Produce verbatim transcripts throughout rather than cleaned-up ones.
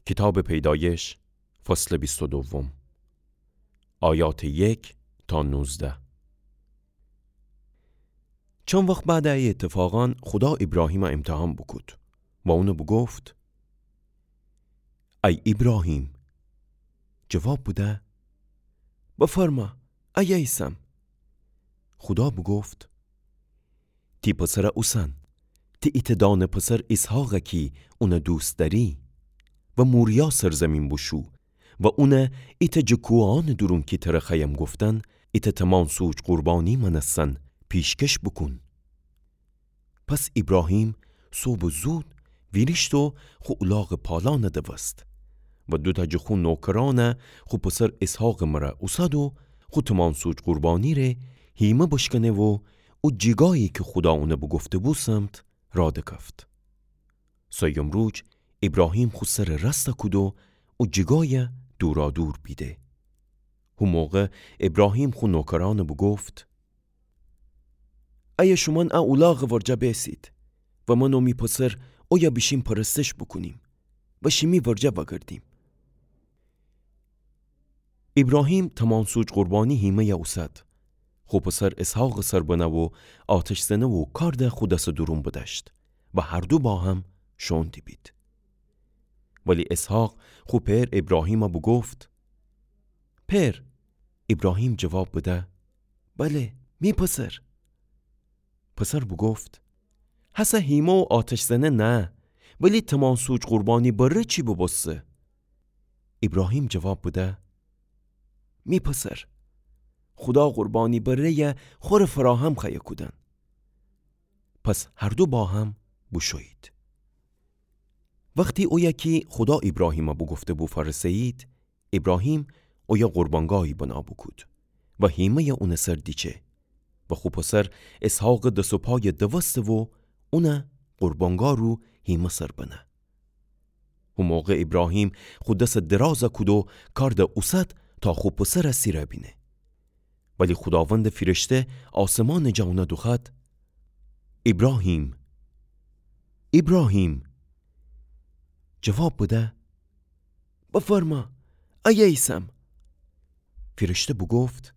کیتابٚ پیدایش، فصلٚ بیست و دوم، آیاتٚ یک تا نوزده. چند وخت بعدٚ ای ایتفاقأن خودا ایبراهیمَ ایمتحان بوکود و اونَ بوگفت: ای ایبراهیم! جواب بده: بفرما، ایه ایسم. خودا بوگفت: تی پسرَ اوسن، تی ایتأ دانه پسر ایسحاقَ کی اونَ دوست دأری، و موریا سرزیمین بوشو و اونَ ایتأ جٚه کوهأنٚ دورون کی ترَ خوأیم گفتن، ایتأ تمانسوج قربانی مأنستن پیشکش بوکون. پس ایبراهیم صبحٚ زود ویریشت و خو اولاغٚ پالأنَ دوست و دوتأ جٚه خو نوکرأنَ خو پسر ایسحاقٚ مره اوسد و خو تمانسوج قربانی ره هیمه بشکنه و او جیگایی کی خودا اونَ بوگفته‌بو سمت راه دکفت. سیوم روج ایبراهیم خو سرَ راستَ کود و او جیگایَ دورادور بیده. هو موقع ایبراهیم خو نوکرأنَ بوگفت: ایه شومأن ا اولاغٚ ورجه بیسید و من و می پسر اویه بیشیم پرستش بوکونیم و شیمی ورجه وأگردیم. ایبراهیم تمانسوج قربانی هیمه‌یَ اوسد، خو پسر ایسحاقٚ سر بنه و آتش زنه و کارد خو دسٚ دورون بدأشت و هر دو با هم شوئون دیبید. ولی ایسحاق خو پئر ایبراهیمَ بوگفت: پئر! ایبراهیم جواب بده: بله، می پسر. پسر بوگفت: هسه هیمه و آتش زنه نه، ولی تمانسوج قربانی بره چی ببوسته؟ ایبراهیم جواب بده: می پسر، خودا قربانی بره‌یَ خوره فراهم خوأیه کودن. پس هر دو با هم بوشویید. وختی اویه کی خودا ایبراهیمَ بوگفته‌بو فأرسه‌یید، ایبراهیم اویه قربانگاهی بنا بوکود و هیمه‌یَ اونٚ سر دیچه و خو پسر ایسحاقٚ دس و پایَ دوسته و اونَ قربانگاه رو هیمه سر بنه. هو موقع ایبراهیم خو دسَ درازَ کود و کارد اوسد تا خو پسرَ سیرَ بینه. ولی خوداوندٚ فیرشته آسمانٚ جا اونَ دوخوأد: ایبراهیم! ایبراهیم! جواب بده: بفرما، ایه ایسم. فیرشته بوگفت: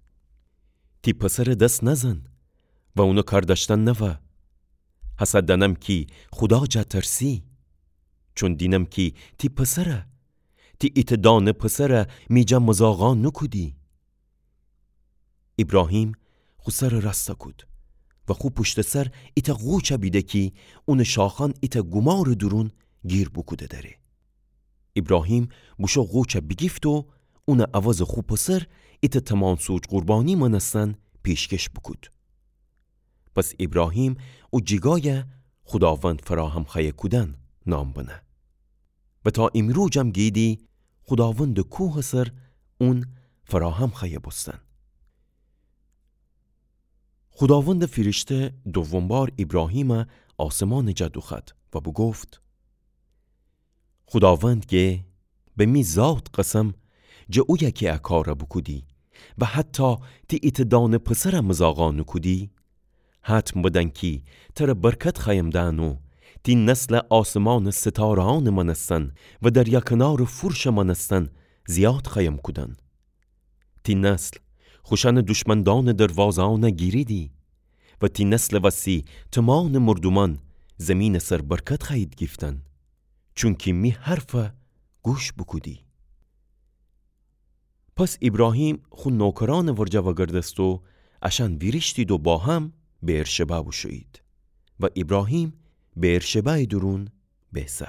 تی پسرَ دس نزن و اونٚ کار دأشتن نوا. هسه دأنم کی خودا جا ترسی، چون دینم کی تی پسرَ، تی ایتأ دانه پسرَ می جا مذاقا نوکودی. ایبراهیم خو سرَ راستَ کود و خو پوشتٚ سر ایتأ غوچَ بیده کی اونٚ شاخأن ایتأ گومارٚ دورون گیر بوکوده دأره. ایبراهیم بوشو غوچَ بیگیفت و اونٚ عوضٚ خو پسر ایتأ تمانسوج قربانی مأنستن پیشکش بوکود. پس ایبراهیم او جیگایَ خوداوند فراهم خوأیه کودن نام بنه. و تا ایمروجم گیدی خوداوندٚ کوهٚ سر اون فراهم خوأیه بوستن. خوداوندٚ فیرشته دوم بار ایبراهیمَ آسمانٚ جا دوخوأد و بوگفت: خوداوند گه، به می ذات قسم، جٚه اویه کی ا کارَ بوکودی و حتی تی ایتأ دانه پسرَ مذاقا نوکودی، حتم بدن کی ترَ برکت خوأیم دأن و تی نسلَ آسمانٚ ستاره‌أنٚ مأنستن و دریا کنارٚ فورشٚ مأنستن زیاد خوأیم کودن. تی نسل خوشأنٚ دشمندأنٚ دروازه‌أنَ گیریدی و تی نسلٚ وسی تومانٚ مردومأن زیمینٚ سر برکت خوأیید گیفتن، چونکی می حرفَ گوش بوکودی. پس ایبراهیم خو نوکرأنٚ ورجه وأگردست و اشأن ویریشتید و با هم بئرشبع بوشویید و ایبراهیم بئرشبعٚ دورون بیسه.